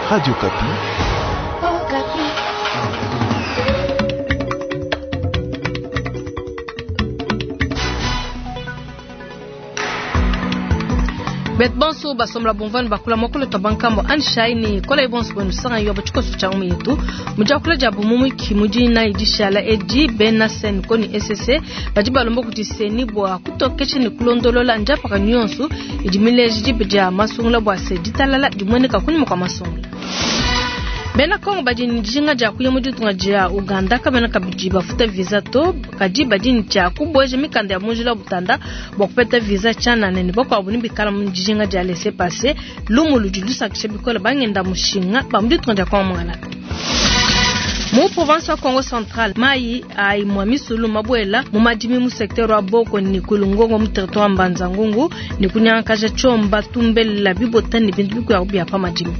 Radio Okapi. Bet bonso basomla bomvani bakula mokolo to bankambo anshaini kola ibonso bwenu sanga yoba chikoso cha umu yetu mujakula jabu mumwiki mujina idishala edi bena sen koni ss badi balomba kuti seni bwa kutokesha ni kulondolola njapaka nyonso idi mileji dibe masungula bwa se ditalala dimweneka kunyuma kwa masungula. Bena Kongo badi ni dijinga dia kuya mu ditunga dia Uganda kabena kabidi bafuta visa to kadi badi ni tshia kubweja mikanda ya munjila butanda bua kupeta visa tshianana ne bakuabu ni bikala mu dijinga dia laissez-passer lumu ludi lusakisha bikole bangenda mushinga ba mu ditunga dia Kongo mwangalata. Mu province wa Kongo Central mai ai mwa misulu mabwela mu madimi mu secteur wa Boko ni kulungongo mu territoire Mbanza Ngungu ni kunyangakaja tshomba tumbela bibota ni bintu bikuya bya pa madimi.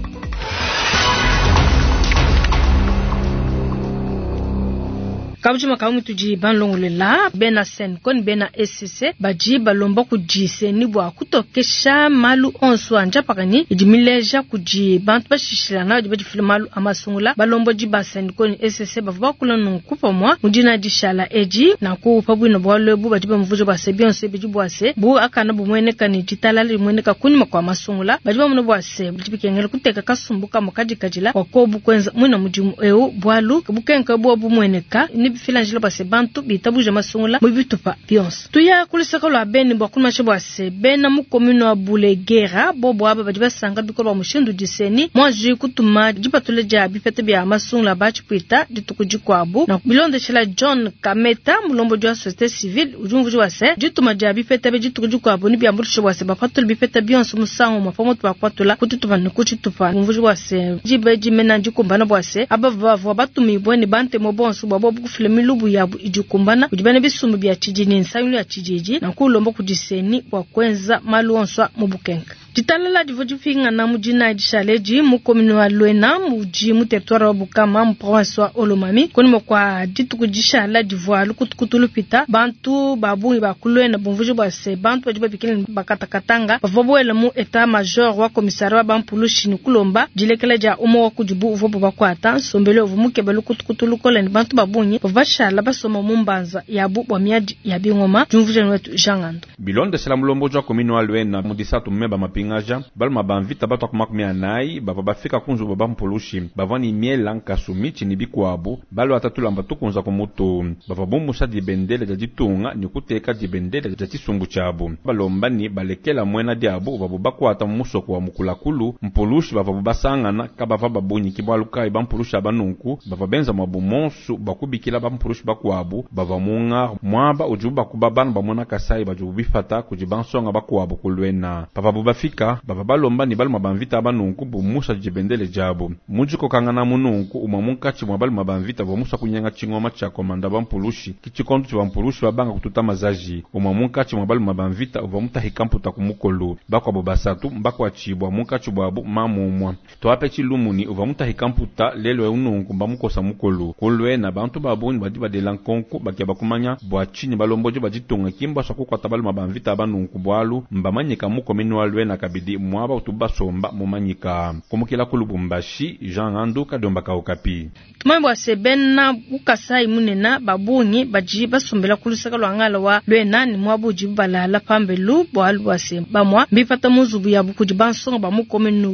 Kabujima kamu tudi banlongolela bena sen kon bena SCC baji balomba kudi seni bua kutokesha malu onso anja pakani idi mileja kudi bantu bashishilana badi badifila malu amasungula balombo di ba sen kon SCC bavua bakula nunku pamua mudina dishala edi nanku pabwino bwalu ebu badi bamvuja bua se bionso bidi bua se bu akana bumueneka ne ditalala limueneka kunyima kua masungula badi bamuna bua se bidi bikengela kuteka kasumbu kamue kadikadila bua kobu kuenza muina mudimu eu bualu bukenka bua bumueneka ni bifilanjila bua se bantu bitabuja masungula mu bitupa bionso. Tuya kulusaka lua beni bua kumasha bua se bena mu commune wa Bulegera bobo aba badi basanga bikolo bua mushindu diseni mwanji kutuma dipatula dia bipeta bia masungula batshipuita dituku dikuabu na bilondeshela John Kameta mulombo wa société civile udi umvuja bua se dituma dia bipeta bia dituku dikuabu ni biambulisha bua se bapatula bipeta bionso musangu umue pamutu pa kupatula kututuma ne kutshitupa umvuja bua se diba dimena dikumbana bua se aba bavua batumibue ne bantemo bonso bua bobu kufila milubu yabu idikumbana kudi bena bisumbu bia tshididi nsangilu ya tshididi na kulomba kudi seni bua kuenza malu onso mu bukenka. Ditalala divua dipingana mu dina dishaledi mu commune wa Luena mudi mu territoire wa Bukama mu province wa Haut-Lomami kunyima kua dituku dishala divua lukutukutu lupita bantu ba bungi ba ku Luena bumvuja bua se bantu badi babikila ne bakatakatanga bavua buela mu etat major wa commissariat wa bampulushi ne kulomba dilekela dia umue wa kudibu uvua bubakuata nsombelu uvua mukeba lukutukutu lukole ne bantu ba bungi bavua bashala basoma mu mbanza yabu bua miadi ya bingoma diumvuja wetu Jean Ngando. Bilondeshela mulomboji wa commune wa Luena mu disatu mmeba mapingaja baluma ba mvita batu 40 bavua bafika ku nzubu bampulushi bavua ni miela nkasu mitshi ni bikuabu balua tulamba tukunza ku mutu bavua bumusha dibendele dia ditunga ni kuteka dibendele dia tshisumbu tshiabu balomba ni balekela muena diabu bavua bakuata mu musoko wa mukulakulu mpulushi bavua basangana kabava babunyiki bualu kayi bampulushi aba nunku bavua benza mwabu monsu bakubikila bampulushi bakuabu bavua munga muaba udibu bakuba bana bamona kasai badibu bifata kudi bansonga bakuabu ku Luena pavabu bafika bavua balomba ni baluma bamvita aba nunku bumusha dibendele diabu mudikokangana mununku umue munkatshi mua baluma bamvita bua musa kunyenga tshingoma tshia komanda bampulushi ki tshikondo tshia bampulushi babanga kututa mazaji umue munkatshi mua baluma bamvita uvua mutahika mputa ku mukolu bakuabu basatu mbakuatshibua munkatshi buabu mamumua tuape tshilumuni uvua mutahika mputa lelo eu nunku mbamukosa mukolu ku Luena bantu babungi badi badela nkonku bakia bakumanya bua tshinyi balomboji baditunga kimbasua kukuata baluma bamvita aba nunku bualu mbamanyika mu commune wa Luena kabidi muaba utu basomba mumanyika kumukila ku Lubumbashi Jean Ngandu Kadiomba ka Okapi. Tumanye bua se bena bukasai munena babungi badi basombela ku lusaka lua ngala wa Luena ni muaba udibu balala pambelu bualu bua se bamua mbipata mu nzubu yabu kudi bansonga ba mu commune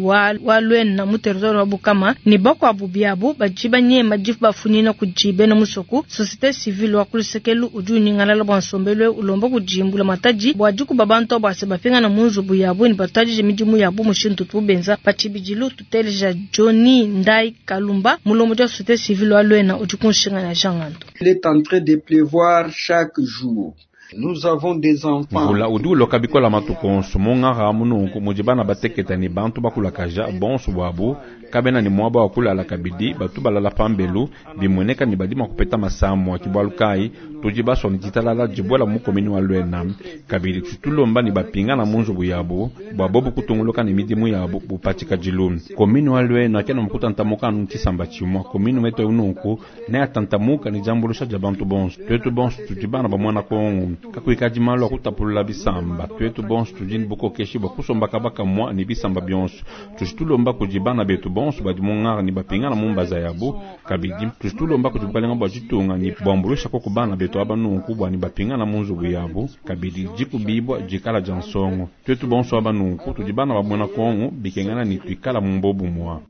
wa Luena mu territoire wa Bukama ni bakuabu biabu badi banyema difu bafunyina kudi bena musoku. Société civile wa ku lusekelu udi unyingalala bua nsombelu ulomba kudi mbula matadi bua dikuba bantu bua se bapingana mu nzubu yabu ni batuadije midimu yabu mushindu tubenza pa tshibidilu. Tuteleja Johnny Ndai Kalumba mulombo wa société civile wa Luena udi kunshinga na Jean Ngando. Il est en train de pleuvoir chaque jour. Nous avons des enfants. Mvula udi uloka bikola matuku onso mungara mununku mudi bana bateketa ni bantu bakulakaja bonso buabu kabena ni muaba wa kulala kabidi batu balala pambelu bimueneka ni badi mua kupeta masamu akibualu kayi tudi basua ni ditalala dibuela mu commune wa Luena kabidi tutulomba ni bapingana mu nzubu yabu bua bobu kutunguluka ni midimu yabu bupatika dilu commune wa Luena kena mukutantamuka anu tshisamba tshimua commune wetu nunku ne atantamuka ni diambulusha dia bantu bonso tuetu bonso tudi bana ba muana Kongo kakuikadi malu akutapulula bisamba tuetu bonso tudi ni bukokeshi bua kusomba kaba kamua ni bisamba bionso tudi tulomba kudi bana betu bonso. bonso badi mu ngara ne bapingana mu mbaza yabu. Kabidi tudi tulomba kudi bukalenga bua ditunga ne buambuluisha koku bana betu aba nunku bua ne bapingana mu nzubu yabu. Kabidi dikubibua dikala dia nsongo. Tuetu bonso aba nunku tudi bana ba muena Kongo bikengana ne tuikala mu mbobumua.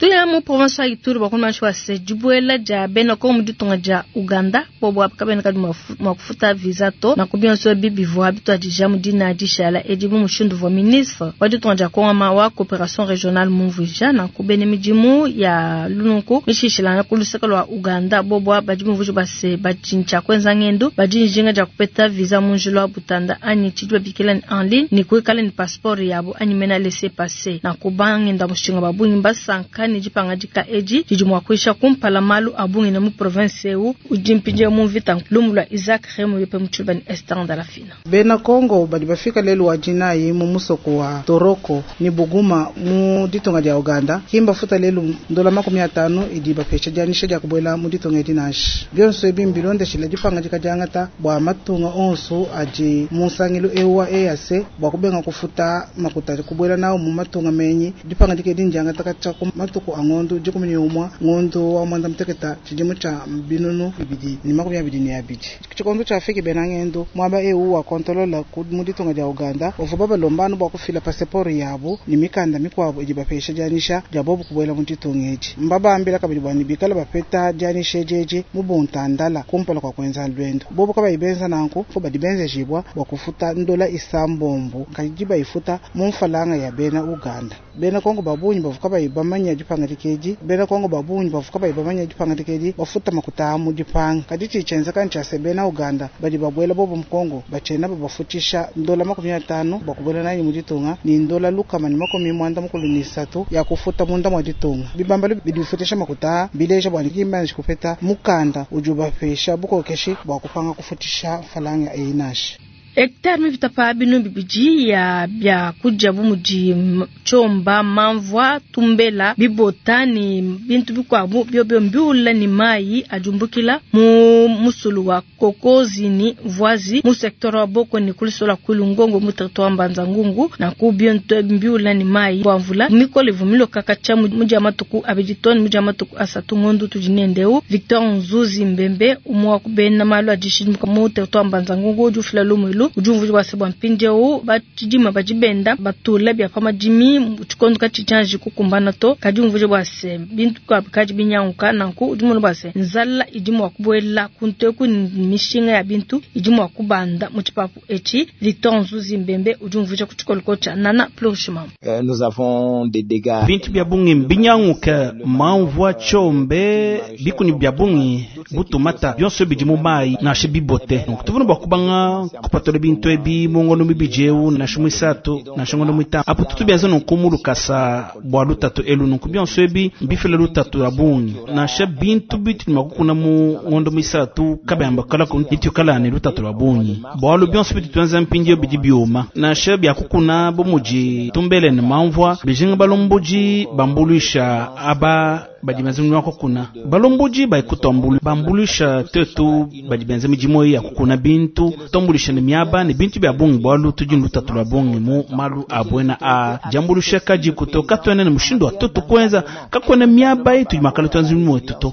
Tuya mu province ya Ituri bakumanshi wa se dibuela dia bena Kongo mu ditunga dia Uganda bobo kabena kadi mua kufuta visa to na kubionso bibivua bituadija mu dina dishala edi mu mushindu wa ministre wa ditunga dia Kongo wa coopération régionale mumvuija na kubene midimu ya lununku mishishilana ku luseke lwa Uganda bobo badi mumvuija base bajincha kwenza ngendo badi njinga dia kupeta visa mu njila wa Butanda anyi tshidi babikila en ligne ni kuikala ni passeport yabo anyi mena laisser passer na kubangenda mushinga babungi basanka ni dipangadika edi didi mua kuisha kumpala malu abungi na mu province eu udi mpindieu mu mvita lumu lua Isaac Remo yope mu Tshiluba ni Esther Ndalafina. Bena Kongo badi bafika lelu wa dinayi mu musoko wa Toroko ni Buguma mu ditunga dia Uganda kimba futa lelu ndola 50 idi bapesha dianyisha dia kubuela mu ditunga edi nansha. Bionso ebi mbilondeshile dipangadika diangata bua matunga onso adi mu nsangilu eu wa EAC bua kubenga kufuta makuta kubuela nawo mu matunga menyi. Dipangadika edi ndiangata katshia ku matuku a ngondo 11 ngondo wa mwanda muteketa tshidimu tshia 2022. Tshikondo tshiafiki bena ngendo mwaba eu wa kontolola mu ditunga dia Uganda bavua babalombana bua kufila passport yabo ni mikanda mikuabo idi bapesha dianyisha dia bobo kubuela mu ditunga edi. Mbabambila kabidi bua ne bikala bapeta dianyisha edi mu buntandala kumpala kua kuenza lwendo. Bobo kabayi benza nanku fo badi benzejibwa bua kufuta ndola isambombo kadi bayifuta mu mfalanga ya bena Uganda. Bena Kongo babunyi bavua kabayi bamanya dipangadika edi. Bena Kongo babunyi bavua kabayi bamanya dipangadika edi bafuta makuta mu dipanga. Kadi tshitshenza kantsha se bena Uganda badi babuela bobo mu Kongo bachena babafutisha ndola 50 bua kubuela nayi mu ditunga ni ndola lukama ni 93 ya kufuta munda mwa ditunga. Bibambalo bidi bifutisha makuta bileja bua nikimbanji kupeta mukanda udi ubapesha bukokeshi bua kupanga kufutisha falanga eyi nansha. Hectare mivitapa binu bibidi ya bya kudia bu mudi chomba mamvua tumbela bibota ni bintu bikwabu byobyo mbiula ni mai ajumbukila mu musulu wa kokozi ni voizi mu secteur wa boko ni kulisola kulungongo mu territoire Mbanza Ngungu na ku bintu mbiula ni mai bwa mvula mikole vumilo kakacha mudia matuku abidi toni mudia matuku asatu ngondu tudinendeu Victor Nzuzi Mbembe umwa kubena malu adishimuka mu territoire Mbanza Ngungu ujufila lumulu ujumvuji wa sebwa mpindieu batshidima badibenda batula bya pamadimi tshikondo katshitshanji kukumbana to kadi umvuji bwa se bintu kadi binyanguka nanku udi munu bwa se nzala idi mua kubuela kunteku mishinga ya bintu idi mua kubanda mu tshipapu etshi. Victor Nzuzi Mbembe udi umvuja ku tshikoloko tshia Nana Plurishimam. Nous avons des dégâts bintu bya bungi mbinyanguka mamvua chombe bikuni bya bungi butumata byonso bidi mu mai nashe bibote tuvuna bwa kubanga kupatola bintu ebi mungono mibijeu na shumwisatu na shongono mwita apo tutu byanza nunkumu lukasa bwa lutatu elu nunku byonso ebi mbifila lutatu abungi nashe bintu bitu makukuna mu ngondo mwisatu kabayamba kala ku nitukala ne lutatu abungi bwalu byonso bitu twanza mpindio bidi bioma nashe byakukuna bomuji tumbele ne mamvua bijinga balomboji bambulisha aba badi benza mudimu wa kukuna balomboji baikutombulu bambulisha tetu badi benza midimu ya kukuna bintu tombulisha ne miaba ne bintu bya bungi bwalu tudi lutatu lwa bungi mu malu abwena a jambulisha kaji kutoka twene ne mushindu wa tutu kwenza kakwena miaba yetu makala twanza mudimu wetu to.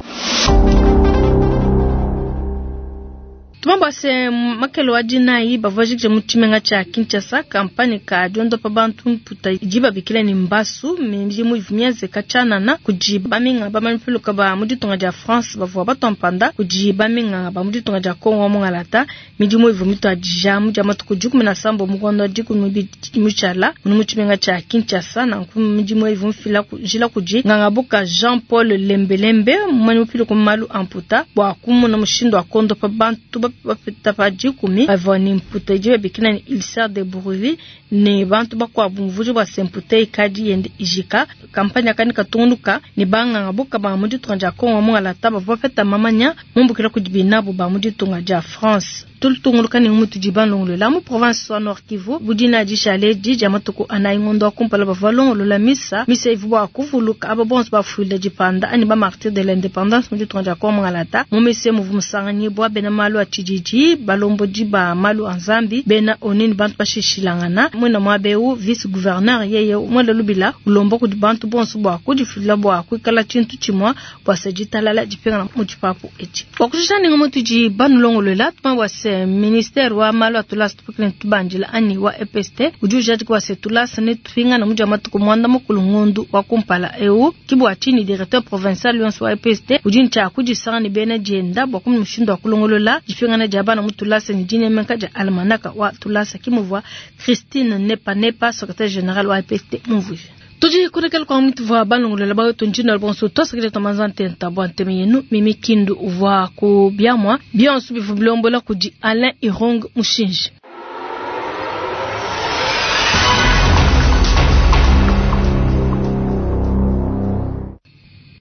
Tumamba se makelo wa dinai bavajikije mu tshimenga tshia Kinshasa kampani ka diondopa bantu mputa idi babikila ni mbasu midimu ivu kachanana kudi baminga bamanyipiluka ba mu ditunga dia France bavua batompanda kudi baminga ba mu ditunga dia Kongo mu ngalata midimu ivu mituadija mu dia matuku 17 mu ngondo 12 mutshala mu tshimenga tshia Kinshasa na ku midimu ivu mfila jila kudi ngangabuka Jean Paul Lembelembe mumanyipiluka malu amputa bua kumuna mushindu wa kondopa bantu bapeta pa dikumi bavua ni mputa idi babikila ni ulcère de Bourville ne bantu bakuabu mvuji bua se mputa ikadi yende ijika. Kampani akani katungunuka ne banganga buka ba mu ditunga dia Kongo mu ngalata bavua bapeta mamanya mumbukila kudi binabu ba mu ditunga dia France. Tulutunguluka ne mutudi balongolola mu province wa Nord Kivu bu dina dishale edi dia matuku anayi ngondo wa kumpala bavua balongolola misa misa ivua bua kuvuluka aba bonso bafuile dipanda anyi ba martyrs de l'indépendance mu ditunga dia Kongo Mungalata. Mu misa muvua musanganyibua bena malu a tshididi, balombodi ba malu a Nzambi, bena ONU ne bantu bashishilangana. Muena muaba eu vice gouverneur yeye muela lubila ulomba kudi bantu bonso bua kudifila bua kuikala tshintu tshimue bua se ditalala dipingana mu tshipapu etshi. Bua kushisha ninga mutudi banulongoluela tumanye bua se ministere wa malu a tulasa tupikile ne tubandila anyi wa EPST udi ujadika bua se tulasa ne tupingana mu dia matuku muanda mukulu ngondu wa kumpala eu. Ki bua tshinyi directeur provincial yonso wa EPST udi ne tshia kudisanga ne bena dienda bua kumanya mushindu wa kulongolola dipingana dia bana mu tulasa ne dinemeka dia almanaka wa tulasa. Ki muvua Christine Nepa Nepa secretaire general wa EPST mumvuije. Tudi kulekela kwa mtu vwa balongolola bayo tunjina bonso twasakile tamanza ntenta bwa nteme yenu Mimi Kindu uvwa ku biamwa bionso bivu bilombola kudi Alain Irung Mushinji.